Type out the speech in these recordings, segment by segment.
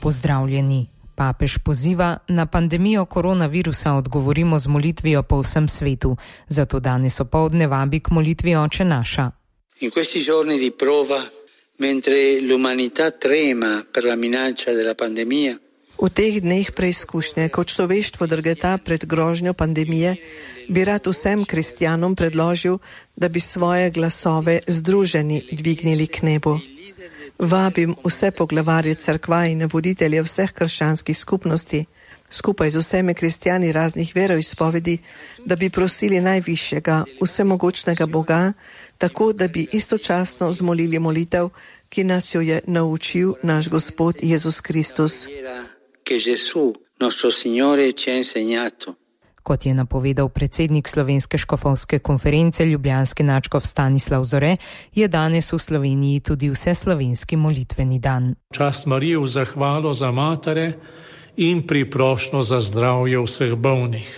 pozdravljeni. Papež poziva, na pandemijo koronavirusa odgovorimo z molitvijo po vsem svetu, zato danes opoldne vabi k molitvi Oče naša. In questi giorni di prova, mentre l'umanità trema per la minaccia della pandemia, v teh dneh preizkušnje, ko človeštvo drgeta pred grožnjo pandemije, bi rad vsem kristjanom predložil, da bi svoje glasove združeni dvignili k nebu. Vabim vse poglavarje cerkva in voditelje vseh krščanskih skupnosti, skupaj z vsemi kristjani raznih veroizpovedi, da bi prosili najvišjega, vsemogočnega Boga, tako da bi istočasno zmolili molitev, ki nas jo je naučil naš Gospod Jezus Kristus. Kot je napovedal predsednik Slovenske škofovske konference ljubljanski nadškof Stanislav Zore, je danes v Sloveniji tudi vseslovenski molitveni dan. Čast Mariji v zahvalo za matere in priprošnjo za zdravje vseh bolnih.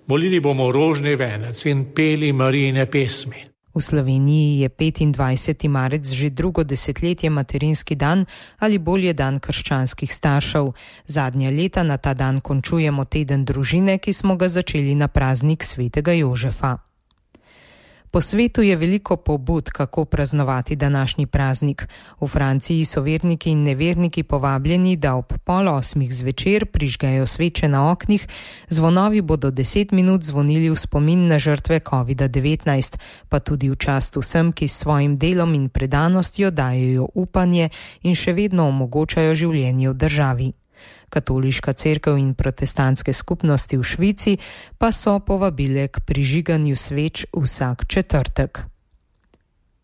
Molili bomo rožni venec in peli Marijine pesmi. V Sloveniji je 25. marec že drugo desetletje materinski dan ali bolje dan krščanskih staršev. Zadnja leta na ta dan končujemo teden družine, ki smo ga začeli na praznik svetega Jožefa. Po svetu je veliko pobud, kako praznovati današnji praznik. V Franciji so verniki in neverniki povabljeni, da ob 7:30 zvečer prižgejo sveče na oknih, zvonovi bodo 10 minut zvonili v spomin na žrtve COVID-19, pa tudi v čast vsem, ki s svojim delom in predanostjo dajejo upanje in še vedno omogočajo življenje v državi. Katoliška cerkev in protestantske skupnosti v Švici pa so povabile k prižiganju sveč vsak četrtek.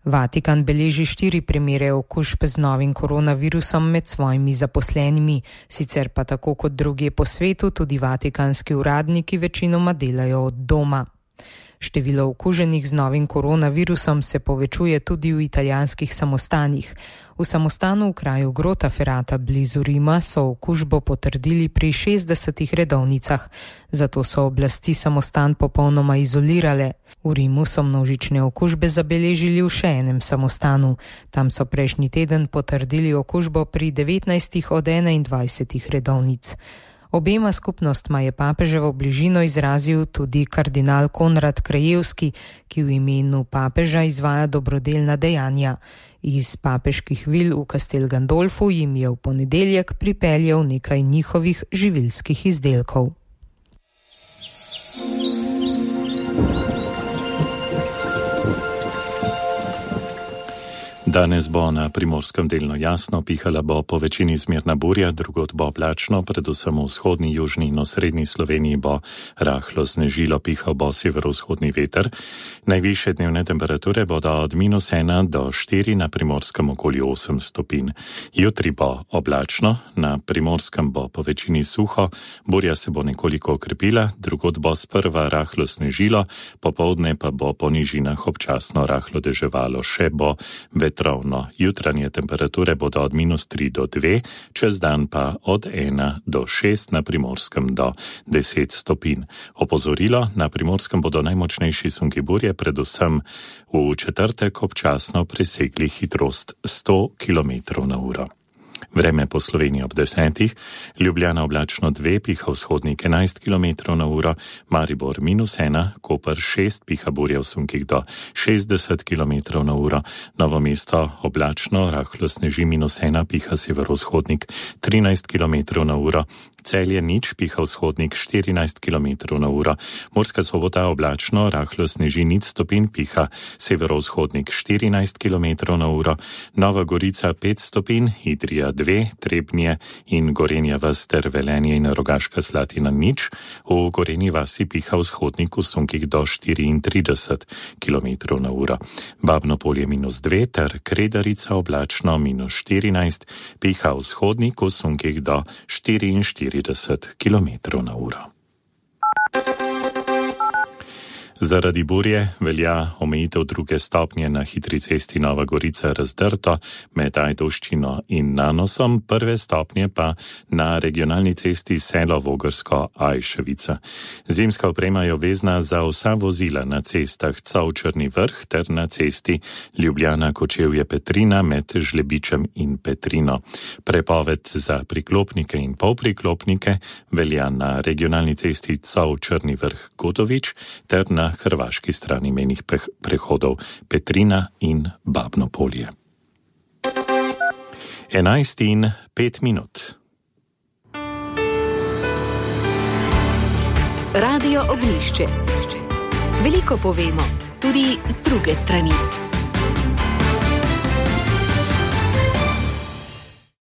Vatikan beleži 4 primere okužb z novim koronavirusom med svojimi zaposlenimi, sicer pa tako kot drugje po svetu tudi vatikanski uradniki večinoma delajo od doma. Število okuženih z novim koronavirusom se povečuje tudi v italijanskih samostanih. V samostanu v kraju Grottaferrata blizu Rima so okužbo potrdili pri 60 redovnicah, zato so oblasti samostan popolnoma izolirale. V Rimu so množične okužbe zabeležili v še enem samostanu. Tam so prejšnji teden potrdili okužbo pri 19 od 21 redovnic. Obema skupnostma je papeževo bližino izrazil tudi kardinal Konrad Krajewski, ki v imenu papeža izvaja dobrodelna dejanja. Iz papeških vil v Castel Gandolfu jim je v ponedeljek pripeljal nekaj njihovih živilskih izdelkov. Danes bo na Primorskem delno jasno, pihala bo po večini zmerna burja, drugod bo oblačno, predvsem v vzhodni, južni in osrednji Sloveniji bo rahlo snežilo, pihal bo severovzhodni veter. Najvišje dnevne temperature bodo od -1 do 4, na Primorskem okoli 8 stopinj. Jutri bo oblačno, na Primorskem bo po večini suho, burja se bo nekoliko okrepila, drugod bo sprva rahlo snežilo, popoldne pa bo po nižinah občasno rahlo deževalo, še bo vetrovno. Jutranje temperature bodo od -3 do 2, čez dan pa od 1 do 6, na Primorskem do 10 stopinj. Opozorilo, na Primorskem bodo najmočnejši sunki burje, predvsem v četrtek občasno presegli hitrost 100 km/h. Vreme po Sloveniji ob 10, Ljubljana oblačno 2, piha vzhodnik 11 km/h, Maribor -1, Koper 6, piha burja v sunkih do 60 km/h, Novo mesto oblačno, rahlo sneži -1, piha severovzhodnik 13 km/h, Celje nič, piha vzhodnik 14 km/h, Murska Sobota oblačno, rahlo sneži 0 stopinj, piha severovzhodnik 14 km/h, Nova Gorica 5 stopinj, Idrija 2, Trebnje in Gorenja vas ter Velenje in Rogaška Slatina nič, v Gorenji vasi piha vzhodnik v sunkih do 34 km/h. Babno Polje -2 ter Kredarica oblačno -14, piha vzhodnik v sunkih do 44 km/h. Zaradi burje velja omejitev 2. stopnje na hitri cesti Nova Gorica Razdrto med Ajdovščino in Nanosom, 1. stopnje pa na regionalni cesti Selo Vogrsko-Ajševica. Zimska oprema je obvezna za vsa vozila na cestah Cov-Črni Vrh ter na cesti Ljubljana-Kočevje-Petrina med Žlebičem in Petrino. Prepoved za priklopnike in polpriklopnike velja na regionalni cesti Cov-Črni Vrh-Godovič ter na hrvaški strani mejnih prehodov Petrina in Babno Polje. 11:05. Radio Oglišče. Veliko povemo, tudi z druge strani.